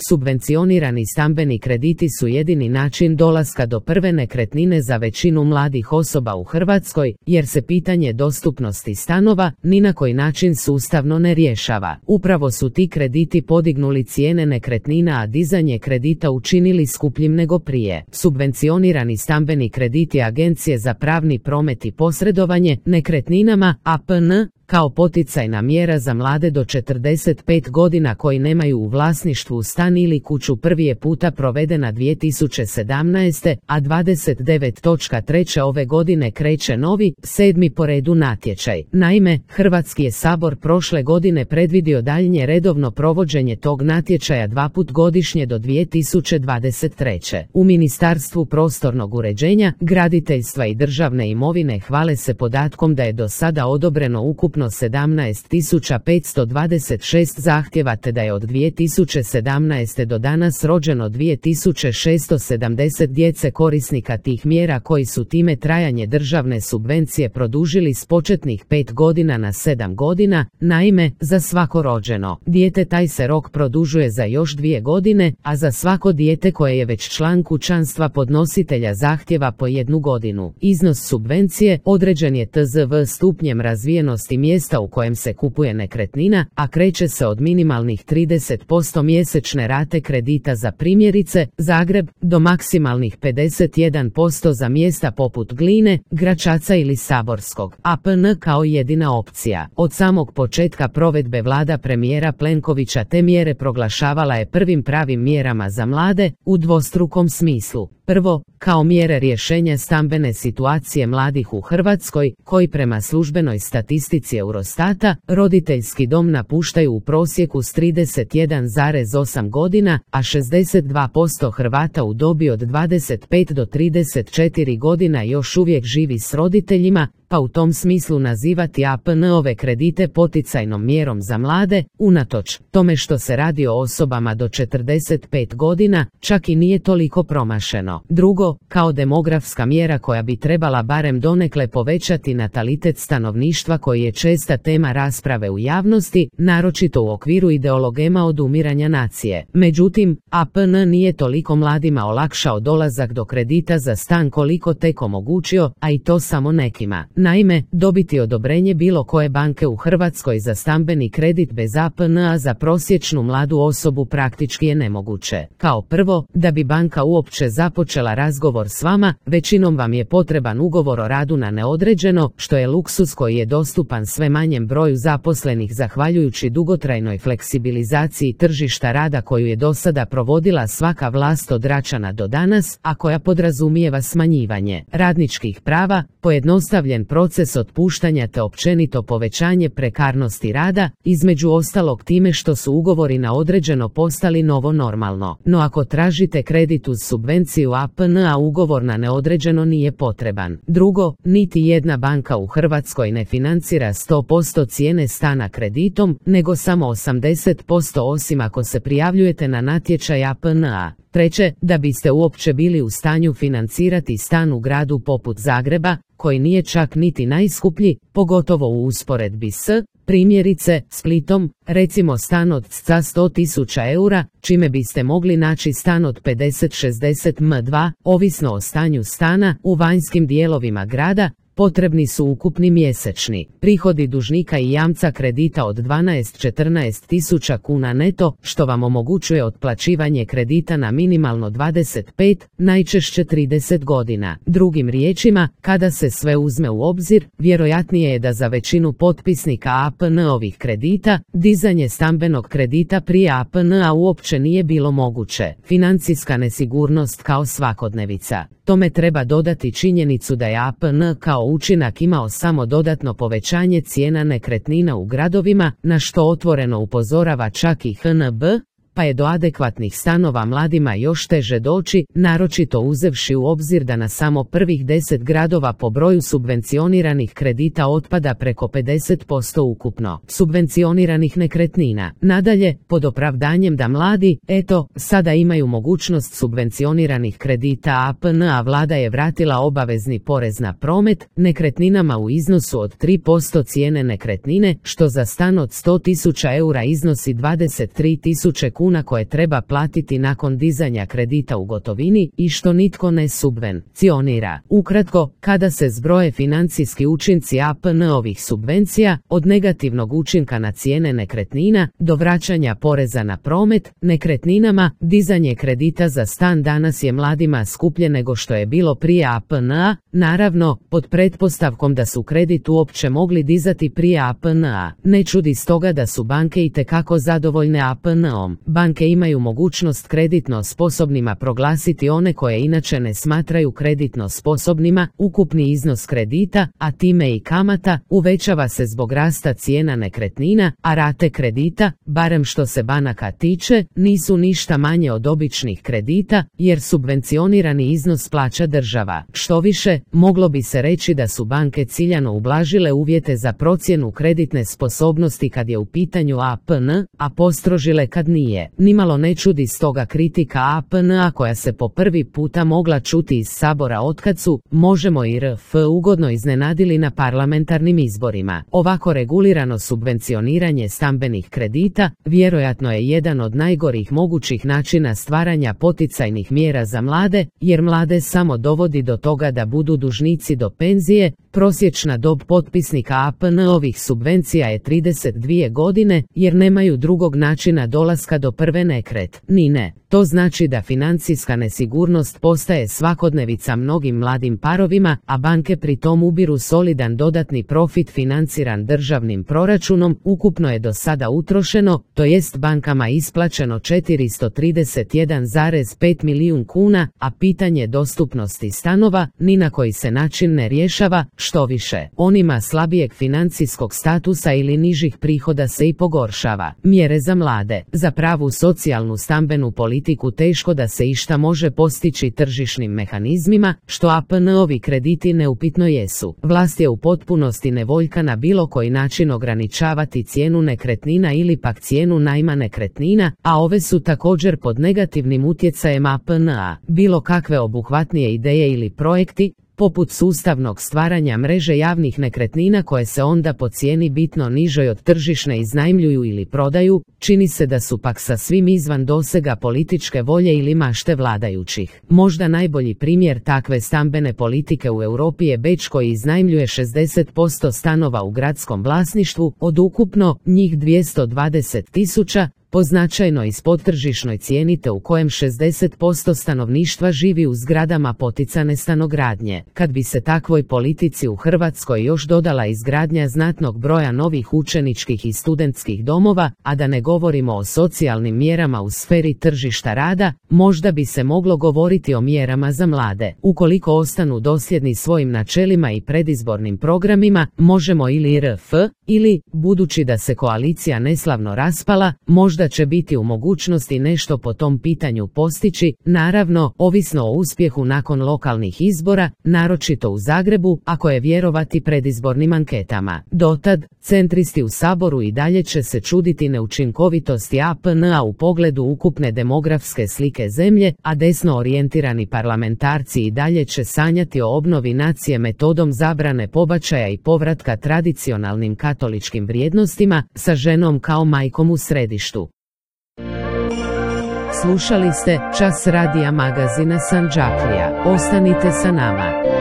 Subvencionirani stambeni krediti su jedini način dolaska do prve nekretnine za većinu mladih osoba u Hrvatskoj, jer se pitanje dostupnosti stanova ni na koji način sustavno ne rješava. Upravo su ti krediti podignuli cijene nekretnina, a dizanje kredita učinili skupljim nego prije. Subvencionirani stambeni krediti Agencije za pravni promet i posredovanje nekretninama APN kao poticajna mjera za mlade do 45 godina koji nemaju u vlasništvu stan ili kuću prvi je puta provedena 2017. a 29.3. ove godine kreće novi, 7. po redu natječaj. Naime, Hrvatski je sabor prošle godine predvidio daljnje redovno provođenje tog natječaja 2 puta godišnje do 2023. U Ministarstvu prostornog uređenja, graditeljstva i državne imovine hvale se podatkom da je do sada odobreno ukupno 17.526 zahtjeva te da je od 2017. do danas rođeno 2670 djece korisnika tih mjera koji su time trajanje državne subvencije produžili s početnih 5 godina na 7 godina. Naime, za svako rođeno dijete taj se rok produžuje za još 2 godine, a za svako dijete koje je već član kućanstva podnositelja zahtjeva po 1 godinu. Iznos subvencije određen je TZV stupnjem razvijenosti mjesta u kojem se kupuje nekretnina, a kreće se od minimalnih 30% mjesečne rate kredita za primjerice Zagreb do maksimalnih 51% za mjesta poput Gline, Gračaca ili Saborskog. APN kao jedina opcija. Od samog početka provedbe vlada premijera Plenkovića te mjere proglašavala je prvim pravim mjerama za mlade u dvostrukom smislu. Prvo, kao mjere rješenja stambene situacije mladih u Hrvatskoj, koji prema službenoj statistici Eurostata, roditeljski dom napuštaju u prosjeku s 31,8 godina, a 62% Hrvata u dobi od 25 do 34 godina još uvijek živi s roditeljima, pa u tom smislu nazivati APN-ove kredite poticajnom mjerom za mlade, unatoč tome što se radi o osobama do 45 godina, čak i nije toliko promašeno. Drugo, kao demografska mjera koja bi trebala barem donekle povećati natalitet stanovništva koji je česta tema rasprave u javnosti, naročito u okviru ideologema odumiranja nacije. Međutim, APN nije toliko mladima olakšao dolazak do kredita za stan koliko tek omogućio, a i to samo nekima. Naime, dobiti odobrenje bilo koje banke u Hrvatskoj za stambeni kredit bez APN-a za prosječnu mladu osobu praktički je nemoguće. Kao prvo, da bi banka uopće započela razgovor s vama, većinom vam je potreban ugovor o radu na neodređeno, što je luksuz koji je dostupan sve manjem broju zaposlenih zahvaljujući dugotrajnoj fleksibilizaciji tržišta rada koju je do sada provodila svaka vlast od Račana do danas, a koja podrazumijeva smanjivanje radničkih prava, pojednostavljen proces otpuštanja te općenito povećanje prekarnosti rada, između ostalog time što su ugovori na određeno postali novo normalno. No ako tražite kredit uz subvenciju APN-a, ugovor na neodređeno nije potreban. Drugo, niti jedna banka u Hrvatskoj ne financira 100% cijene stana kreditom, nego samo 80% osim ako se prijavljujete na natječaj APN-a. Treće, da biste uopće bili u stanju financirati stan u gradu poput Zagreba, koji nije čak niti najskuplji, pogotovo u usporedbi s, primjerice, Splitom, recimo stan od 100.000 eura, čime biste mogli naći stan od 50-60 m2, ovisno o stanju stana, u vanjskim dijelovima grada, potrebni su ukupni mjesečni prihodi dužnika i jamca kredita od 12-14 tisuća kuna neto, što vam omogućuje otplaćivanje kredita na minimalno 25, najčešće 30 godina. Drugim riječima, kada se sve uzme u obzir, vjerojatnije je da za većinu potpisnika APN-ovih kredita, dizanje stambenog kredita prije APN-a uopće nije bilo moguće. Financijska nesigurnost kao svakodnevica. Tome treba dodati činjenicu da je APN kao učinak imao samo dodatno povećanje cijena nekretnina u gradovima, na što otvoreno upozorava čak i HNB, pa je do adekvatnih stanova mladima još teže doći, naročito uzevši u obzir da na samo prvih 10 gradova po broju subvencioniranih kredita otpada preko 50% ukupno subvencioniranih nekretnina. Nadalje, pod opravdanjem da mladi, sada imaju mogućnost subvencioniranih kredita APN, a vlada je vratila obavezni porez na promet nekretninama u iznosu od 3% cijene nekretnine, što za stan od 100.000 eura iznosi 23.000 kuna kuna koje treba platiti nakon dizanja kredita u gotovini i što nitko ne subvencionira. Ukratko, kada se zbroje financijski učinci APN-ovih subvencija, od negativnog učinka na cijene nekretnina do vraćanja poreza na promet nekretninama, dizanje kredita za stan danas je mladima skuplje nego što je bilo prije APN-a, naravno, pod pretpostavkom da su kredit uopće mogli dizati prije APN-a. Ne čudi stoga da su banke itekako zadovoljne APN-om. Banke imaju mogućnost kreditno sposobnima proglasiti one koje inače ne smatraju kreditno sposobnima. Ukupni iznos kredita, a time i kamata, uvećava se zbog rasta cijena nekretnina, a rate kredita, barem što se banaka tiče, nisu ništa manje od običnih kredita, jer subvencionirani iznos plaća država. Štoviše, moglo bi se reći da su banke ciljano ublažile uvjete za procjenu kreditne sposobnosti kad je u pitanju APN, a postrožile kad nije. Nimalo ne čudi stoga kritika APN-a koja se po prvi puta mogla čuti iz Sabora otkad su Možemo i RF ugodno iznenadili na parlamentarnim izborima. Ovako regulirano subvencioniranje stambenih kredita vjerojatno je jedan od najgorih mogućih načina stvaranja poticajnih mjera za mlade, jer mlade samo dovodi do toga da budu dužnici do penzije. Prosječna dob potpisnika APN-ovih subvencija je 32 godine, jer nemaju drugog načina dolaska do prve nekretnine. To znači da financijska nesigurnost postaje svakodnevica mnogim mladim parovima, a banke pri tom ubiru solidan dodatni profit financiran državnim proračunom. Ukupno je do sada utrošeno, to jest bankama isplaćeno 431,5 milijun kuna, a pitanje dostupnosti stanova ni na koji se način ne rješava, štoviše, onima slabijeg financijskog statusa ili nižih prihoda se i pogoršava. Mjere za mlade, za pravu socijalnu stambenu politiku teško da se išta može postići tržišnim mehanizmima, što APN-ovi krediti neupitno jesu. Vlast je u potpunosti nevoljka na bilo koji način ograničavati cijenu nekretnina ili pak cijenu najma nekretnina, a ove su također pod negativnim utjecajem APN-a. Bilo kakve obuhvatnije ideje ili projekti, poput sustavnog stvaranja mreže javnih nekretnina koje se onda po cijeni bitno nižoj od tržišne iznajmljuju ili prodaju, čini se da su pak sasvim izvan dosega političke volje ili mašte vladajućih. Možda najbolji primjer takve stambene politike u Europi je Beč koji iznajmljuje 60% stanova u gradskom vlasništvu, od ukupno njih 220.000, po značajno ispod tržišnoj cijeni te u kojem 60% stanovništva živi u zgradama poticane stanogradnje. Kad bi se takvoj politici u Hrvatskoj još dodala izgradnja znatnog broja novih učeničkih i studentskih domova, a da ne govorimo o socijalnim mjerama u sferi tržišta rada, možda bi se moglo govoriti o mjerama za mlade. Ukoliko ostanu dosljedni svojim načelima i predizbornim programima, Možemo ili RF, ili, budući da se koalicija neslavno raspala, možda će biti u mogućnosti nešto po tom pitanju postići, naravno, ovisno o uspjehu nakon lokalnih izbora, naročito u Zagrebu, ako je vjerovati predizbornim anketama. Dotad, centristi u Saboru i dalje će se čuditi neučinkovitosti APN-a u pogledu ukupne demografske slike zemlje, a desno orijentirani parlamentarci i dalje će sanjati o obnovi nacije metodom zabrane pobačaja i povratka tradicionalnim katoličkim vrijednostima, sa ženom kao majkom u središtu. Slušali ste Čas radija magazina Sandžaklija. Ostanite sa nama.